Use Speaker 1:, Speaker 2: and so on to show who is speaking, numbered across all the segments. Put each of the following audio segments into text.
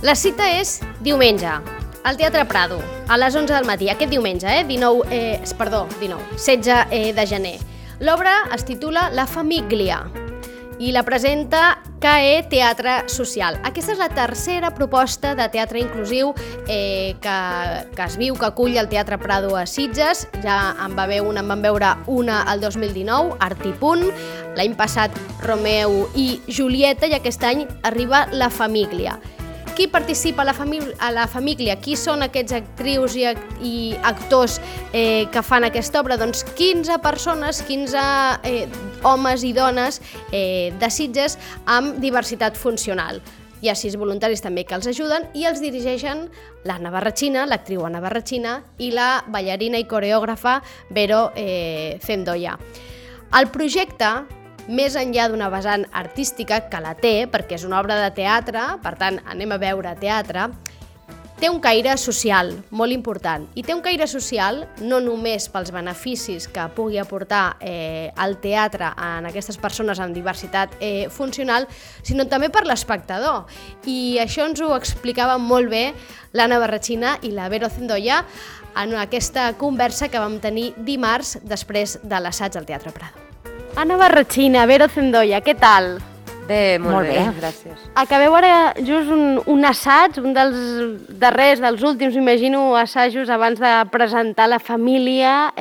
Speaker 1: La cita és diumenge, al Teatre Prado, a les 11 del matí, aquest diumenge, 16 de gener. L'obra es titula La Famiglia i la presenta CAE Teatre Social. Aquesta és la tercera proposta de teatre inclusiu que es viu, que acull el Teatre Prado a Sitges. Ja en van veure una el 2019, Art i Punt, l'any passat Romeu i Julieta, i aquest any arriba La Famiglia. Qui participa a la família? Qui són aquests actrius i actors que fan aquesta obra? Doncs 15 persones, 15 homes i dones de Sitges amb diversitat funcional. Hi ha 6 voluntaris també que els ajuden i els dirigeixen l'Anna Barrachina, l'actriu Anna Barrachina, i la ballarina i coreògrafa Vero Zendoya. El projecte, més enllà d'una vessant artística, que la té, perquè és una obra de teatre, per tant, anem a veure teatre, té un caire social molt important. I té un caire social no només pels beneficis que pugui aportar el teatre en aquestes persones amb diversitat funcional, sinó també per l'espectador. I això ens ho explicava molt bé l'Anna Barrachina i la Vero Zendoya en aquesta conversa que vam tenir dimarts després de l'assaig al Teatre Prado. Anna Barrachina, Vero Zendoya, què tal?
Speaker 2: Bé, molt bé, gràcies.
Speaker 1: Acabeu ara just un assaig, un dels darrers, dels últims, imagino, assajos abans de presentar La Família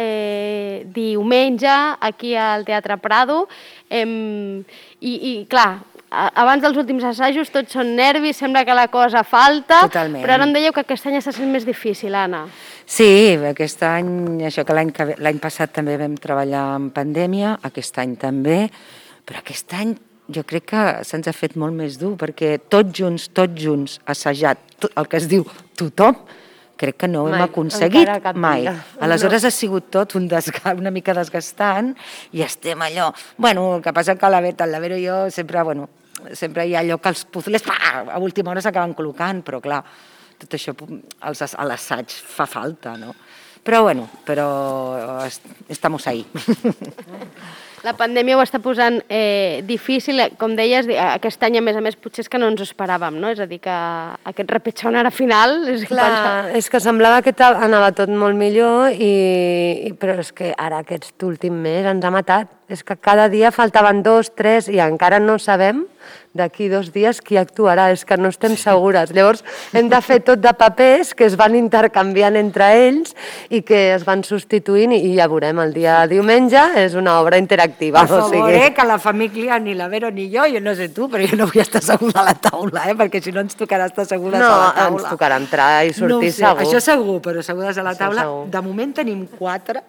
Speaker 1: diumenge aquí al Teatre Prado. I clar, abans dels últims assajos tots són nervis, sembla que la cosa falta.
Speaker 2: Totalment.
Speaker 1: Però ara em dèieu que aquest any està sent més difícil, Anna.
Speaker 2: Sí, aquest any, això que l'any passat també vam treballar en pandèmia, aquest any també, però aquest any jo crec que se'ns ha fet molt més dur, perquè tots junts, assajat, el que es diu tothom, crec que no ho hem aconseguit mai. Aleshores ha sigut tot una mica desgastant i estem allò... Bueno, el que passa que la Vero i jo sempre hi ha allò que els puzles a última hora s'acaben col·locant, però clar, tot això a l'assaig fa falta, no? Però estamos ahí.
Speaker 1: La pandèmia ho està posant difícil, com deies, aquest any a més potser és que no ens ho esperàvem, no? És a dir, que aquest repetxon ara final...
Speaker 3: Clar, és que semblava que anava tot molt millor, però és que ara aquest últim mes ens ha matat. És que cada dia faltaven 2, 3 i encara no sabem d'aquí 2 dies qui actuarà, és que no estem segures. Llavors hem de fer tot de papers que es van intercanviant entre ells i que es van substituint i ja veurem, el dia de diumenge és una obra interactiva.
Speaker 2: Per favor, que la família, ni la Vero ni jo no sé tu, però jo no vull estar segura a la taula, perquè si no ens tocarà estar segures a la taula.
Speaker 3: No, ens tocarà entrar i sortir segur.
Speaker 2: Això segur, però segures a la taula. De moment tenim 4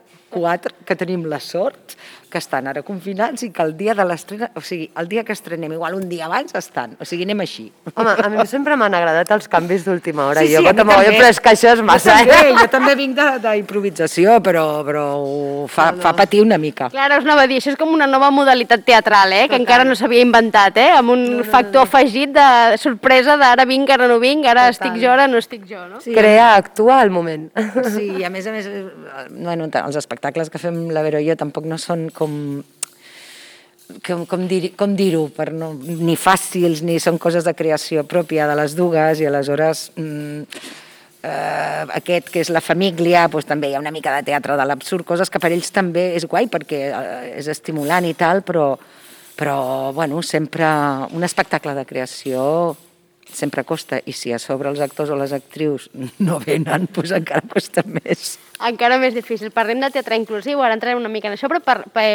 Speaker 2: que tenim la sort que estan ara confinats i que el dia de l'estrena, o sigui, el dia que estrenem, igual un dia abans estan, o sigui, anem així.
Speaker 3: Home, a mi sempre m'han agradat els canvis d'última hora, però és que això és massa.
Speaker 2: Jo també vinc d'improvisació, però fa patir una mica.
Speaker 1: Clar, us anava a dir, això és com una nova modalitat teatral, que encara no s'havia inventat, amb un factor afegit de sorpresa d'ara vinc, ara no vinc, ara estic jo, ara no estic jo, no?
Speaker 3: Crear, actuar al moment.
Speaker 2: Sí, a més, els espectacles que fem la Vero i jo tampoc no són com dir-ho, ni fàcils, ni són coses de creació pròpia de les dues, i aleshores aquest que és La Família, també hi ha una mica de teatre de l'absurd, coses que per ells també és guai perquè és estimulant i tal, però sempre un espectacle de creació sempre costa, i si a sobre els actors o les actrius no venen, doncs encara costa més.
Speaker 1: Encara més difícil. Parlem de teatre inclusiu, ara entrarem una mica en això, però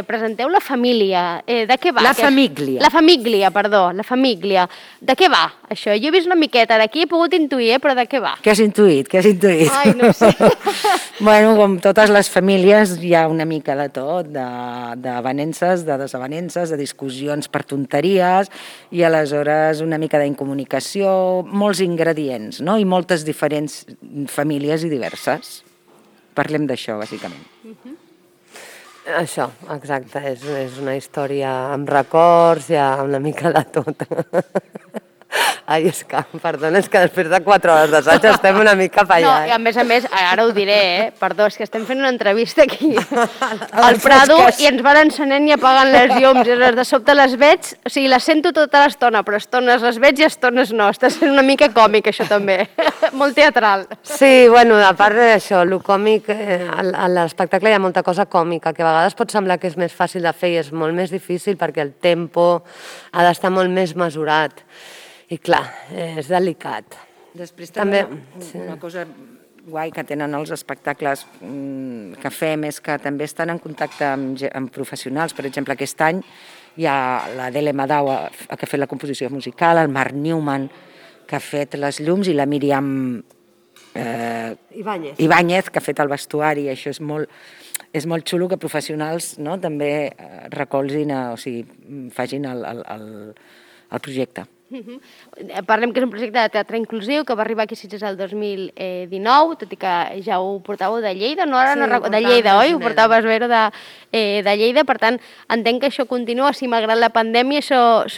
Speaker 1: presenteu La Família. De què va?
Speaker 2: La Família.
Speaker 1: La Família, perdó, La Família. De què va, això? Jo he vist una miqueta d'aquí, he pogut intuir, però de què va?
Speaker 2: Què has intuït?
Speaker 1: Ai, no sé.
Speaker 2: Bueno, com totes les famílies, hi ha una mica de tot, d'avenences, de desavenences, de discussions per tonteries, i aleshores una mica d'incomunicació, molts ingredients, no? I moltes diferents famílies i diverses. Parlem d'això, bàsicament.
Speaker 3: Això, exacte, és una història amb records, ja una mica de tot. Ai, és que, perdona, és que després de 4 hores d'assaig estem una mica per allà.
Speaker 1: No, i a més, ara ho diré, perdó, és que estem fent una entrevista aquí al Prado i ens van encenent i apagant les llums, i de sobte les veig, o sigui, les sento tota l'estona, però estones les veig i estones no. Està sent una mica còmic, això també, molt teatral.
Speaker 3: Sí, bueno, a part d'això, el còmic, a l'espectacle hi ha molta cosa còmica, que a vegades pot semblar que és més fàcil de fer i és molt més difícil perquè el tempo ha d'estar molt més mesurat. I clar, és delicat.
Speaker 2: Després també una cosa guai que tenen els espectacles que fem és que també estan en contacte amb professionals. Per exemple, aquest any hi ha l'Adele Madau, que ha fet la composició musical, el Marc Newman, que ha fet les llums, i la Míriam Ibáñez, que ha fet el vestuari. Això és molt xulo que professionals també recolzin, o sigui, facin el projecte.
Speaker 1: Parlem que és un projecte de teatre inclusiu que va arribar aquí a Sitges el 2019, tot i que ja ho portàveu de Lleida, no? Ara no recordo, de Lleida, oi? Ho portaves Vero de Lleida, per tant, entenc que això continua, si malgrat la pandèmia això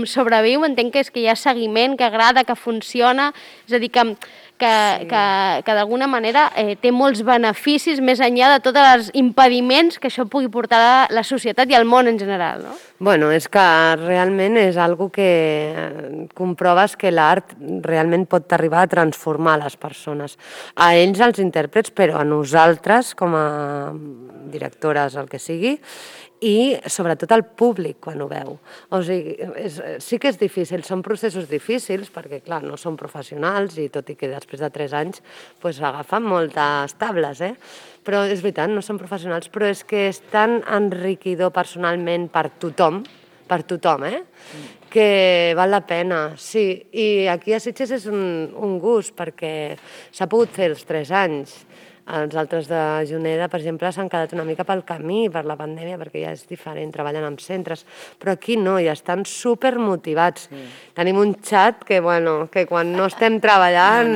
Speaker 1: sobreviu, entenc que és que hi ha seguiment, que agrada, que funciona, és a dir, que d'alguna manera té molts beneficis més enllà de tots els impediments que això pugui portar a la societat i al món en general, no?
Speaker 3: Bueno, és que realment és algo que comproves que l'art realment pot arribar a transformar les persones. A ells, els intèrprets, però a nosaltres, com a directores, el que sigui, i sobretot al públic quan ho veu. O sigui, sí que és difícil, són processos difícils perquè, clar, no són professionals i tot i que després de 3 anys agafen moltes tables, però és veritat, no són professionals, però és que és tan enriquidor personalment per tothom, que val la pena, sí. I aquí a Sitges és un gust perquè s'ha pogut fer els 3 anys. Els altres de Juneda, per exemple, s'han quedat una mica pel camí per la pandèmia, perquè ja és diferent, treballen amb centres, però aquí no, i estan supermotivats. Tenim un xat que quan no estem treballant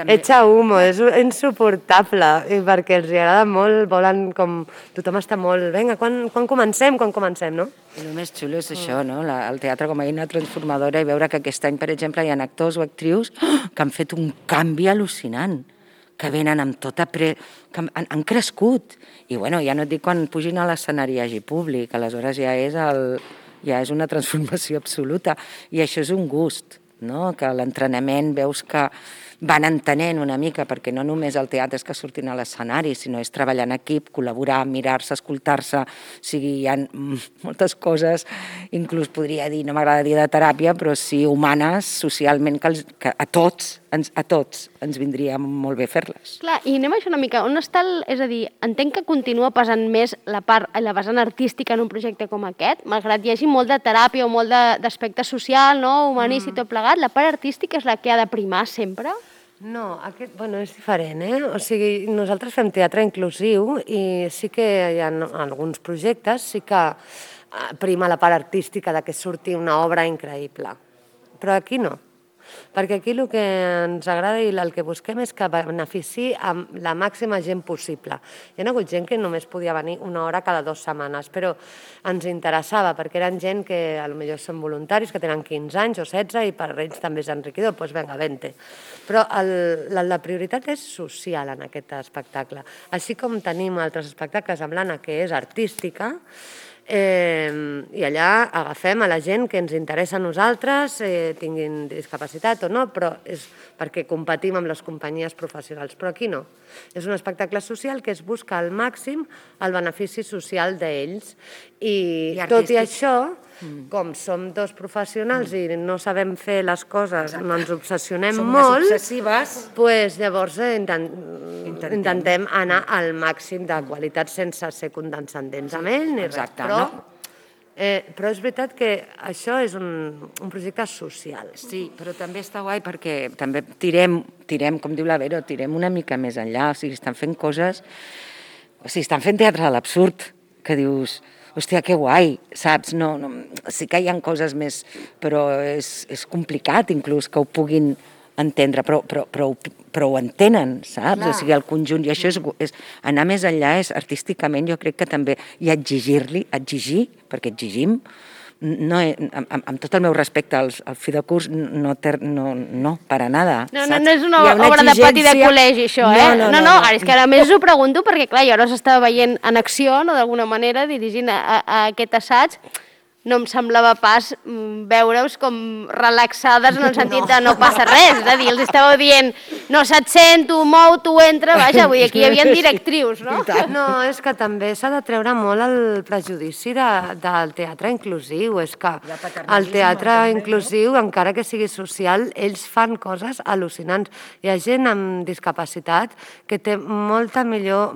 Speaker 3: echa humo, és insuportable, i perquè els agrada molt, volen com... Tothom està molt... Vinga, quan comencem, no?
Speaker 2: I el més xulo és això, no? El teatre com a eina transformadora, i veure que aquest any, per exemple, hi ha actors o actrius que han fet un canvi al·lucinant, que venen amb tota... que han crescut. I bueno, ja no et dic quan pugin a l'escenari i hi hagi públic, aleshores ja és una transformació absoluta. I això és un gust, no? Que l'entrenament veus que van entenent una mica, perquè no només el teatre és que surtin a l'escenari, sinó és treballar en equip, col·laborar, mirar-se, escoltar-se, o sigui, hi ha moltes coses, inclús podria dir, no m'agrada dir de teràpia, però sí humanes, socialment, que a tots ens vindria molt bé fer-les.
Speaker 1: Clar, i anem a això una mica, on està és a dir, entenc que continua pesant més la vessant artística en un projecte com aquest, malgrat hi hagi molt de teràpia o molt d'aspecte social, no, humanista i tot plegat, la part artística és la que ha de primar sempre?
Speaker 3: No, és diferent, O sigui, nosaltres fem teatre inclusiu i sí que hi ha alguns projectes, sí que prima la part artística de que surti una obra increïble, però aquí no. Perquè aquí el que ens agrada i el que busquem és que beneficiï amb la màxima gent possible. Hi ha hagut gent que només podia venir una hora cada 2 setmanes, però ens interessava perquè eren gent que potser són voluntaris, que tenen 15 anys o 16 i per ells també és enriquidor, doncs vinga, vente. Però la prioritat és social en aquest espectacle. Així com tenim altres espectacles amb l'Anna que és artística, i allà agafem a la gent que ens interessa a nosaltres, tinguin discapacitat o no, però és perquè competim amb les companyies professionals. Però aquí no. És un espectacle social que es busca al màxim el benefici social d'ells. I tot i això, com som 2 professionals i no sabem fer les coses, no ens obsessionem molt, doncs llavors intentem anar al màxim de qualitat sense ser condescendents amb ell ni res. Però és veritat que això és un projecte social.
Speaker 2: Sí, però també està guai perquè també tirem, com diu la Vero, tirem una mica més enllà, o sigui, estan fent coses, o sigui, estan fent teatre a l'absurd, que dius... Hòstia, que guai, saps? Sí que hi ha coses més, però és complicat inclús que ho puguin entendre, però ho entenen, saps? O sigui, el conjunt, i això és anar més enllà, és artísticament, jo crec que també, i exigir, perquè exigim, no, amb tot el meu respecte al fi de curs, no, para nada.
Speaker 1: No és una obra de pati de col·legi, això, eh? No, és que a més ho pregunto perquè, clar, jo ara s'estava veient en acció, no, d'alguna manera, dirigint a aquest assaig, no em semblava pas veure-us com relaxades en el sentit de no passa res, és a dir, els estàveu dient no se't sent, tu mou, tu entra, vaja, vull dir, aquí hi havia directrius, no?
Speaker 3: No, és que també s'ha de treure molt el prejudici del teatre inclusiu, és que el teatre inclusiu, encara que sigui social, ells fan coses al·lucinants. Hi ha gent amb discapacitat que té molta millor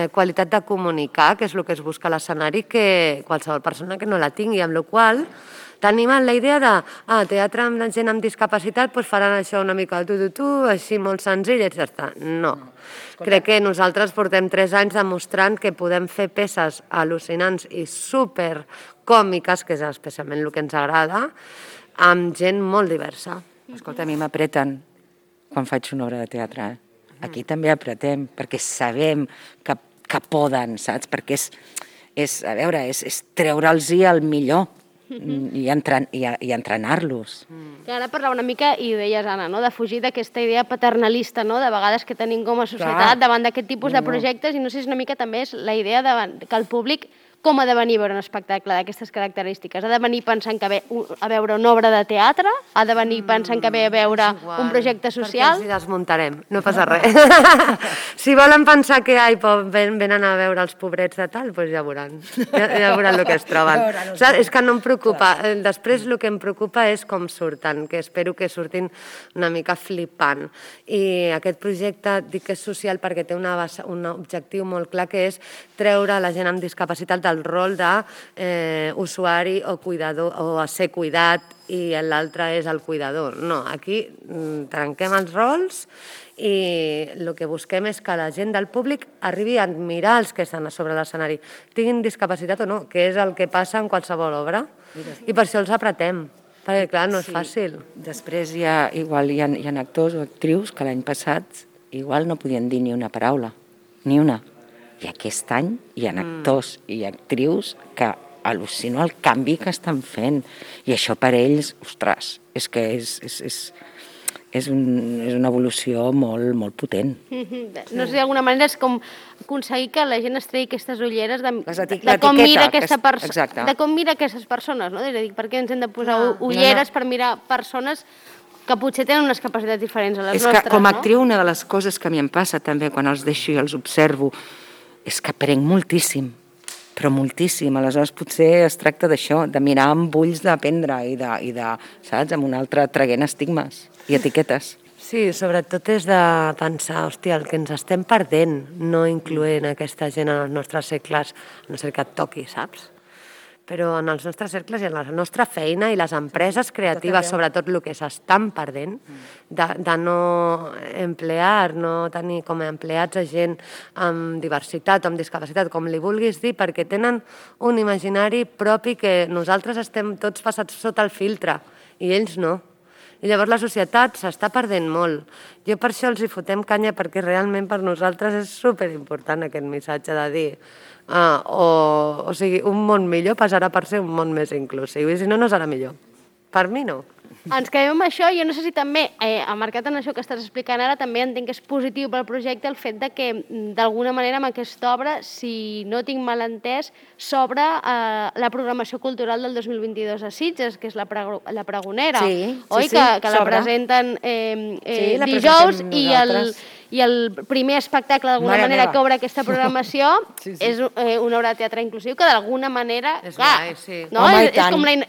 Speaker 3: qualitat de comunicar, que és el que es busca a l'escenari, que qualsevol persona que no la tingui, amb la qual tenim la idea de teatre amb la gent amb discapacitat doncs faran això una mica així molt senzill, i ja està. No. Crec que nosaltres portem 3 anys demostrant que podem fer peces al·lucinants i supercòmiques, que és especialment el que ens agrada, amb gent molt diversa.
Speaker 2: Escolta, a mi m'apreten quan faig una obra de teatre, Aquí també apretem, perquè sabem que poden, saps? Perquè és treure'ls-hi el millor i entrenar-los.
Speaker 1: Ara parlava una mica, i ho deies, Anna, de fugir d'aquesta idea paternalista, de vegades que tenim com a societat davant d'aquest tipus de projectes, i no sé si una mica també és la idea que el públic com ha de venir a veure un espectacle d'aquestes característiques? Ha de venir pensant que ve a veure una obra de teatre? Ha de venir pensant que ve a veure un projecte social?
Speaker 3: Perquè els desmuntarem, no passa res. Si volen pensar que venen a veure els pobrets de tal, doncs ja veuran el que es troben. És que no em preocupa. Després el que em preocupa és com surten, que espero que surtin una mica flipant. I aquest projecte dic que és social perquè té un objectiu molt clar, que és treure la gent amb discapacitat del rol d'usuari o cuidador, o a ser cuidat, i l'altre és el cuidador. No, aquí trenquem els rols i el que busquem és que la gent del públic arribi a admirar els que estan a sobre l'escenari, tinguin discapacitat o no, que és el que passa en qualsevol obra, i per això els apretem, perquè clar, no és fàcil.
Speaker 2: Després hi ha actors o actrius que l'any passat igual no podien dir ni una paraula, ni una. I aquest any hi ha actors i actrius que al·lucino el canvi que estan fent. I això per ells, ostres, és que és una evolució molt potent.
Speaker 1: No sé, d'alguna manera és com aconseguir que la gent es tregui aquestes ulleres de com mira aquesta persona, de com mira aquestes persones, no? És a dir, per què ens hem de posar ulleres per mirar persones que potser tenen unes capacitats diferents a les nostres, no? És que
Speaker 2: com a actriu una de les coses que a mi em passa també quan els deixo i els observo és que aprenc moltíssim, però moltíssim. Aleshores potser es tracta d'això, de mirar amb ulls d'aprendre i de, saps, amb un altre traguent estigmes i etiquetes.
Speaker 3: Sí, sobretot és de pensar, hòstia, el que ens estem perdent no incloent aquesta gent en els nostres cercles, a no ser que et toqui, saps? Però en els nostres cercles i en la nostra feina i les empreses creatives, sobretot el que s'estan perdent, de no emplear, no tenir com a empleats a gent amb diversitat o amb discapacitat, com li vulguis dir, perquè tenen un imaginari propi que nosaltres estem tots passats sota el filtre i ells no. I llavors la societat s'està perdent molt. Jo per això els hi fotem canya, perquè realment per nosaltres és superimportant aquest missatge de dir o sigui, un món millor passarà per ser un món més inclusiu, i si no, no serà millor. Per mi no.
Speaker 1: Ens quedem amb això. Jo no sé si també, marcat en això que estàs explicant ara, també entenc que és positiu pel projecte el fet de que, d'alguna manera, amb aquesta obra, si no tinc mal entès, s'obre la programació cultural del 2022 a Sitges, que és la Pregonera, oi? Que la presenten dijous, i el primer espectacle, d'alguna manera, que obre aquesta programació és una obra de teatre inclusiu, que d'alguna manera...
Speaker 3: És guai, sí.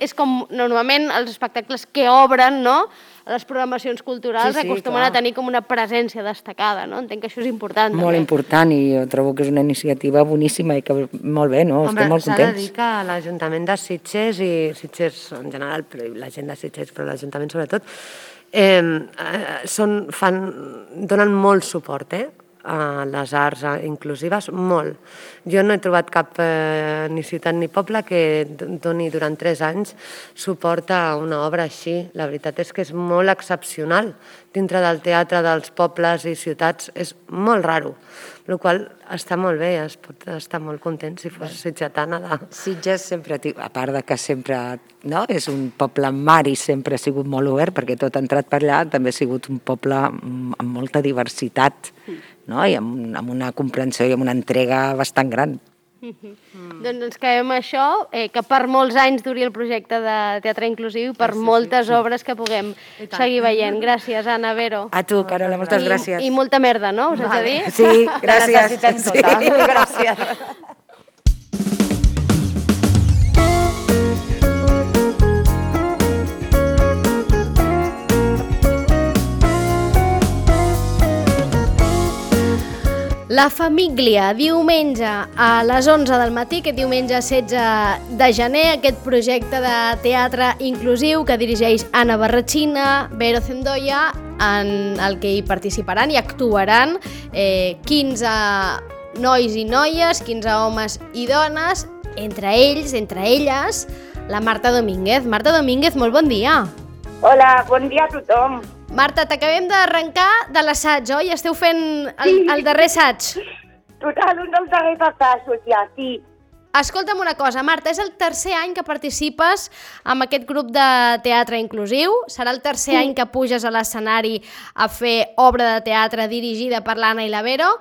Speaker 1: És com normalment els espectacles que obren, no?, a les programacions culturals acostumen a tenir com una presència destacada, no? Entenc que això és important.
Speaker 2: Molt important, i jo trobo que és una iniciativa boníssima i que molt bé, no? Estem molt contents.
Speaker 3: S'ha de dir que l'Ajuntament de Sitges, i Sitges en general, la gent de Sitges, però l'Ajuntament sobretot, donen molt suport a les arts inclusives, molt. Jo no he trobat cap ni ciutat ni poble que doni durant 3 anys suport a una obra així. La veritat és que és molt excepcional. Dintre del teatre dels pobles i ciutats és molt raro, el qual està molt bé, es pot estar molt content si fos sitgetana.
Speaker 2: Sitges sempre, a part de que sempre és un poble amb mar i sempre ha sigut molt obert, perquè tot ha entrat per allà, també ha sigut un poble amb molta diversitat, i amb una comprensió i amb una entrega bastant gran.
Speaker 1: Doncs ens quedem això, que per molts anys duri el projecte de teatre inclusiu, per moltes obres que puguem seguir veient. Gràcies, Anna, Vero.
Speaker 2: A tu, Carola, moltes gràcies.
Speaker 1: I molta merda, no? Us haig de dir?
Speaker 2: Sí, gràcies.
Speaker 3: La necessitem tota. Gràcies.
Speaker 1: La Famíglia, diumenge a les 11 del matí, aquest diumenge 16 de gener, aquest projecte de teatre inclusiu que dirigeix Anna Barratxina, Vero Zendoya, en el que hi participaran i actuaran 15 nois i noies, 15 homes i dones, entre ells, entre elles, la Marta Domínguez. Marta Domínguez, molt bon dia.
Speaker 4: Hola, bon dia a tothom.
Speaker 1: Marta, t'acabem d'arrencar de l'assaig, oi? Esteu fent el darrer assaig.
Speaker 4: Total, un dels darrers assajos, ja, sí.
Speaker 1: Escolta'm una cosa, Marta, és el tercer any que participes en aquest grup de teatre inclusiu? Serà el tercer any que puges a l'escenari a fer obra de teatre dirigida per l'Anna i la Vero.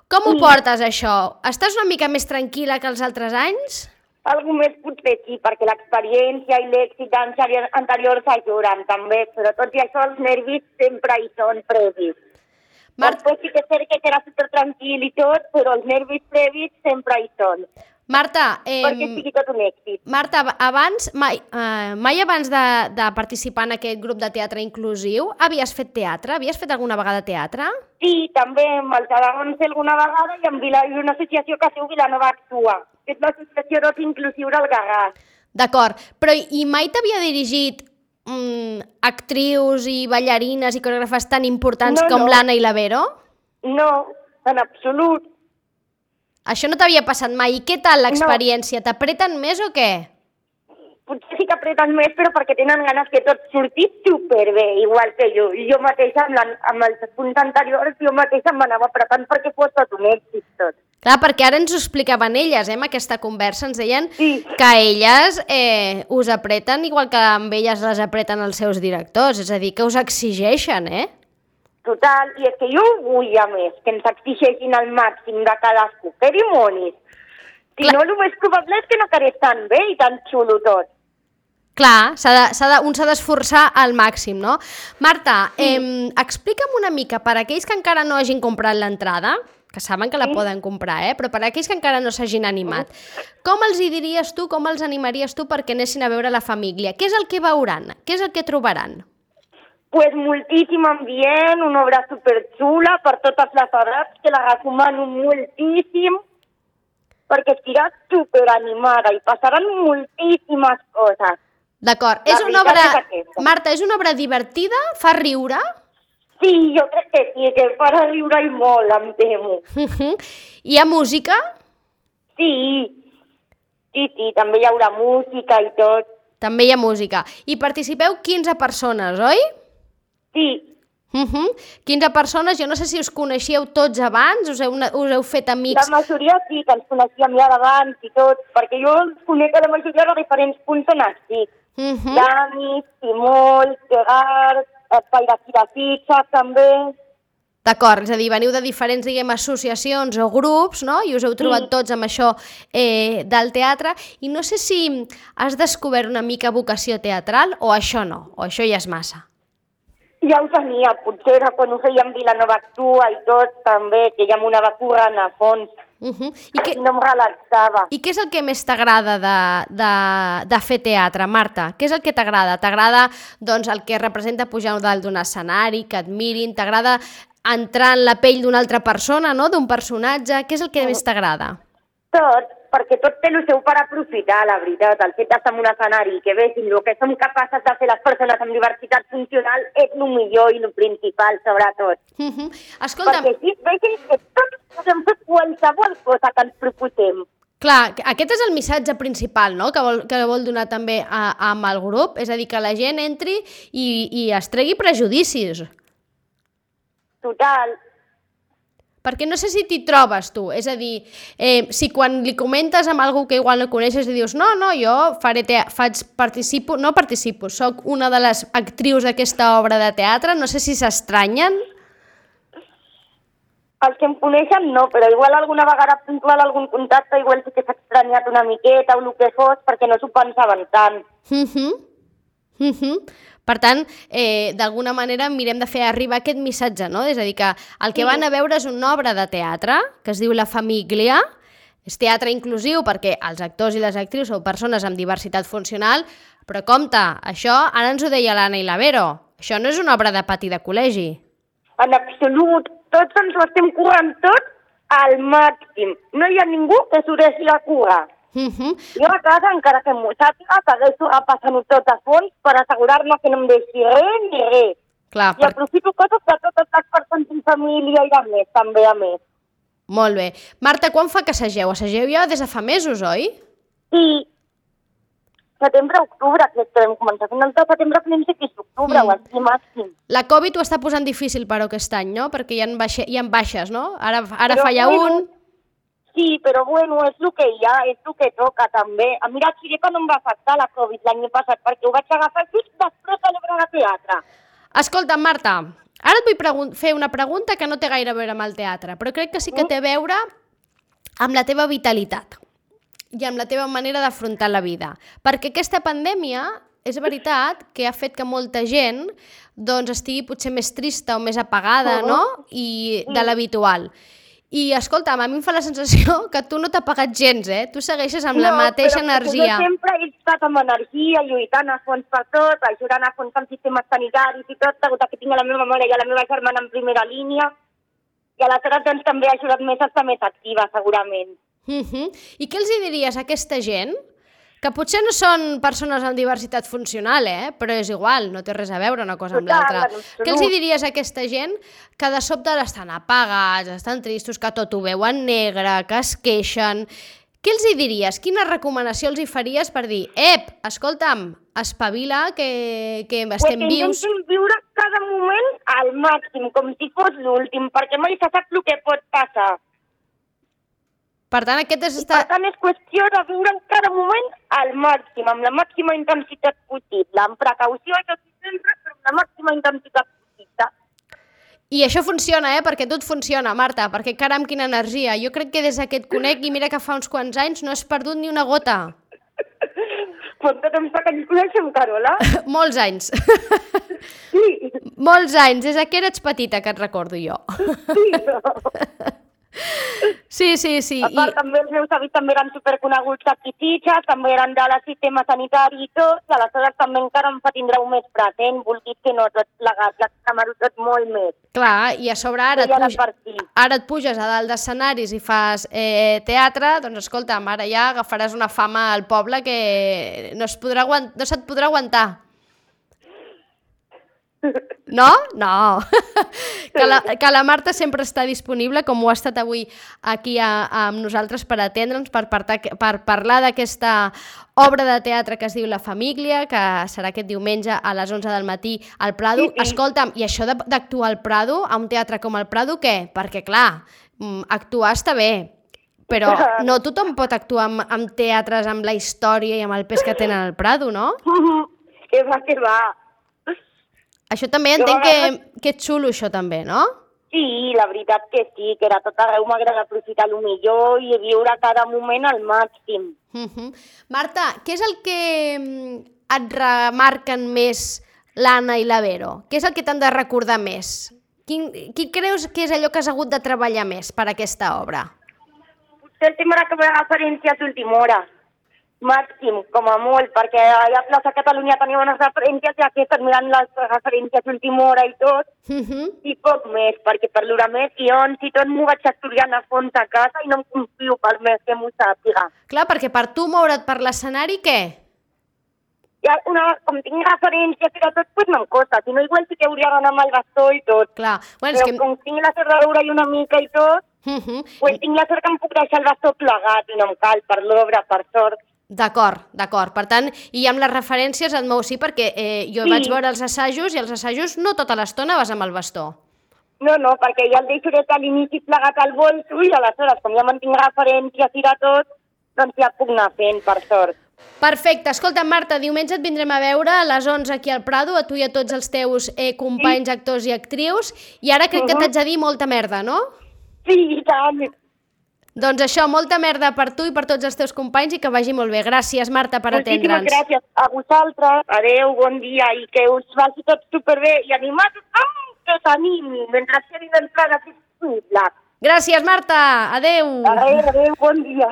Speaker 1: Com ho portes, això? Estàs una mica més tranquil·la que els altres anys?
Speaker 4: Algú més potser sí, perquè l'experiència i l'èxit anteriors ajuden també, però tot i això els nervis sempre hi són previs. Després sí que és cert que serà super tranquil i tot, però els nervis previs sempre hi són.
Speaker 1: Marta,
Speaker 4: perquè sigui tot un èxit.
Speaker 1: Marta, mai abans de participar en aquest grup de teatre inclusiu havies fet teatre? Havies fet alguna vegada teatre?
Speaker 4: Sí, també amb els Aragons alguna vegada i amb una associació que es diu Vilanova Actua, que és l'associació d'oci inclusiu del Garraf.
Speaker 1: D'acord, però i mai t'havia dirigit actrius i ballarines i coreògrafes tan importants com l'Anna i la Vero?
Speaker 4: No, en absolut.
Speaker 1: Això no t'havia passat mai. I què tal l'experiència? No. T'apreten més o què?
Speaker 4: Potser sí que apreten més, però perquè tenen ganes que tot surti superbé, igual que jo. I jo mateixa, amb els punts anteriors, jo mateixa m'anava apretant perquè fos tot un èxit tot.
Speaker 1: Clar, perquè ara ens ho explicaven elles, en aquesta conversa. Ens deien que elles us apreten igual que amb elles les apreten els seus directors. És a dir, que us exigeixen,
Speaker 4: Total, i és que jo ho vull, a més, que ens exigeixin al màxim de cadascú. Que dimonis! Si no, el més probable és que no quedés tan bé i tan xulo tot.
Speaker 1: Clar, un s'ha d'esforçar al màxim, no? Marta, explica'm una mica, per aquells que encara no hagin comprat l'entrada, que saben que la poden comprar, però per aquells que encara no s'hagin animat, com els hi diries tu, com els animaries tu perquè anessin a veure La Famíglia? Què és el que veuran? Què és el que trobaran?
Speaker 4: Pues moltíssim ambient, una obra superxula per totes les edats, que la recomano moltíssim, perquè estirà superanimada i passaran moltíssimes coses.
Speaker 1: D'acord. És una obra... Marta, és una obra divertida? Fa riure?
Speaker 4: Sí, jo crec que sí, que farà riure i molt, em temo.
Speaker 1: Hi ha música?
Speaker 4: Sí, també hi haurà música i tot.
Speaker 1: També hi ha música. I participeu 15 persones, oi?
Speaker 4: Sí.
Speaker 1: 15 persones, jo no sé si us coneixíeu tots abans, us heu fet amics...
Speaker 4: La majoria sí, que ens coneixíem ja d'abans i tot, perquè jo els conec a la majoria de diferents punts on estic. Dani, Simol, Gerard, Pairaquira Fitxa, també...
Speaker 1: D'acord, és a dir, veniu de diferents, associacions o grups, no? I us heu trobat tots amb això del teatre, i no sé si has descobert una mica vocació teatral o això no, o això ja és massa.
Speaker 4: Ja ho tenia, potser era quan ho fèiem Vilanova Actua i tot, també, que ja m'ho anava currant a fons. I no em relaxava.
Speaker 1: I què és el que més t'agrada de fer teatre, Marta? Què és el que t'agrada? T'agrada el que representa pujar dalt d'un escenari, que et mirin? T'agrada entrar en la pell d'una altra persona, no? D'un personatge? Què és el que més t'agrada?
Speaker 4: Tot. perquè tot té el seu per aprofitar, la veritat. El fet d'estar en un escenari que vegin el que som capaces de fer les persones amb diversitat funcional és el millor i el principal, sobretot.
Speaker 1: Escolta'm...
Speaker 4: Perquè així vegin que tots podem fer qualsevol cosa que ens proposem.
Speaker 1: Clar, aquest és el missatge principal, no?, que vol donar també amb el grup, és a dir, que la gent entri i es tregui prejudicis.
Speaker 4: Total.
Speaker 1: Perquè no sé si t'hi trobes tu, és a dir, si quan li comentes amb algú que igual no coneixes i dius no, jo soc una de les actrius d'aquesta obra de teatre, no sé si s'estranyen.
Speaker 4: Els que em coneixen no, però igual alguna vegada puntual algun contacte igual sí que s'ha estranyat una miqueta o el que fos perquè no s'ho pensaven tant.
Speaker 1: Per tant, d'alguna manera mirem de fer arribar aquest missatge, no? És a dir, que el que van a veure és una obra de teatre que es diu La Famíglia, és teatre inclusiu perquè els actors i les actrius són persones amb diversitat funcional, però compte, això, ara ens ho deia l'Anna i la Vero, això no és una obra de pati de col·legi.
Speaker 4: En absolut, tots ens ho estem currant tot al màxim. No hi ha ningú que s'ho deixi a currar. Jo a casa, encara que m'ho sàpiga, segueixo repassant-ho tot a fons per assegurar-me que no em deixi res ni res.
Speaker 1: Clar,
Speaker 4: I aprofito coses de totes les persones en família i de més, també a més.
Speaker 1: Molt bé. Marta, quan fa que assageu? Assageu ja des de fa mesos, oi?
Speaker 4: Sí. Setembre-octubre, crec que vam començar. Final de setembre, principis d'octubre, o així màxim.
Speaker 1: La Covid ho està posant difícil, però, aquest any, no? Perquè hi ha baixes, no? Ara fa ja un...
Speaker 4: Sí, però bueno, és el que hi ha, és el que toca també. Mira, et diré que no em va afectar la Covid l'any passat, perquè ho vaig agafar just després de l'obra de teatre.
Speaker 1: Escolta, Marta, ara et vull fer una pregunta que no té gaire a veure amb el teatre, però crec que sí que té a veure amb la teva vitalitat i amb la teva manera d'afrontar la vida. Perquè aquesta pandèmia, és veritat que ha fet que molta gent doncs, estigui potser més trista o més apagada, no? I de l'habitual. I, escolta'm, a mi em fa la sensació que tu no t'ha pagat gens, Tu segueixes amb la mateixa energia.
Speaker 4: No, però sempre he estat amb energia, lluitant a fons per tot, ajudant a fons amb sistemes sanitaris i tot, degut que tinc la meva mare i la meva germana en primera línia, i aleshores doncs, també ha ajudat més a estar més activa, segurament.
Speaker 1: I què els diries a aquesta gent? Que potser no són persones amb diversitat funcional, però és igual, no té res a veure una cosa amb l'altra. Què els diries a aquesta gent que de sobte estan apagats, estan tristos, que tot ho veuen negre, que es queixen? Què els diries? Quina recomanació els faries per dir escolta'm, espavila, que estem vius?
Speaker 4: Intentem viure cada moment al màxim, com si fos l'últim, perquè mai se sap el que pot passar.
Speaker 1: Per tant, per
Speaker 4: tant, és qüestió de viure cada moment al màxim, amb la màxima intensitat possible, amb precaució, això sí sempre, però amb la màxima intensitat possible.
Speaker 1: I això funciona, perquè tot funciona, Marta, perquè caram, quina energia. Jo crec que des que et conec, i mira que fa uns quants anys, no has perdut ni una gota.
Speaker 4: Quant de temps fa que ens coneixem, Carola?
Speaker 1: Molts anys.
Speaker 4: Sí.
Speaker 1: Molts anys, des que eres petita, que et recordo jo. Sí.
Speaker 4: A part, també els meus avis també eren superconeguts a Pititxes, també eren de la sistema sanitari i tot, i aleshores també encara em fa tindreu més present, vulguis que no, tot plegat, l'escamaro tot molt més.
Speaker 1: Clar, i a sobre ara et puges a dalt d'escenaris i fas teatre, doncs escolta'm, ara ja agafaràs una fama al poble que no se't podrà aguantar. No? No. Que la Marta sempre està disponible, com ho ha estat avui aquí amb nosaltres per atendre'ns, per parlar d'aquesta obra de teatre que es diu La Famíglia, que serà aquest diumenge a les 11 del matí al Prado. Sí. Escolta'm, i això d'actuar al Prado, a un teatre com el Prado, què? Perquè, clar, actuar està bé, però no tothom pot actuar amb teatres, amb la història i amb el pes que tenen al Prado, no?
Speaker 4: Que va.
Speaker 1: Això també entenc que és xulo, això també, no?
Speaker 4: Sí, la veritat que sí, que era tot arreu m'agrada aprofitar el millor i viure cada moment al màxim.
Speaker 1: Marta, què és el que et remarquen més l'Anna i la Vero? Què és el que t'han de recordar més? Qui creus que és allò que has hagut de treballar més per aquesta obra?
Speaker 4: Potser el tema que va referència a l'última hora. màxim, com a molt, perquè allà a Plaça Catalunya tenia unes referències i aquí estan mirant les referències d'última hora i tot, i poc més, perquè per l'hora més guions i tot m'ho vaig estudiant a fons a casa i no em confio per més que m'ho sàpiga.
Speaker 1: Clar, perquè per tu moure't per l'escenari, què?
Speaker 4: Ja, com tinc referències i tot, doncs me'n costa, si no igual sí que hauria d'anar amb el bastó i tot.
Speaker 1: Clar, bueno,
Speaker 4: però com tinc la serradura i una mica i tot, pues tinc la sort que em puc deixar el bastó plegat i no em cal per l'obra, per sort.
Speaker 1: D'acord. Per tant, i amb les referències et mous, sí, perquè jo vaig veure els assajos i els assajos no tota l'estona vas amb el bastó.
Speaker 4: No, perquè ja el deixo des de l'inici plegat al bolso i aleshores, com ja mantinc referències i de tot, doncs ja puc anar fent, per sort.
Speaker 1: Perfecte. Escolta, Marta, diumenge et vindrem a veure a les 11 aquí al Prado, a tu i a tots els teus companys, actors i actrius, i ara crec que t'haig de dir molta merda, no?
Speaker 4: Sí, i tant.
Speaker 1: Doncs això, molta merda per tu i per tots els teus companys i que vagi molt bé. Gràcies, Marta, per atendre'ns.
Speaker 4: Moltíssimes gràcies a vosaltres. Adéu, bon dia i que us vagi tot superbé i animat que s'animi mentre quedin entrades disponibles.
Speaker 1: Gràcies, Marta. Adéu.
Speaker 4: Adéu, bon dia.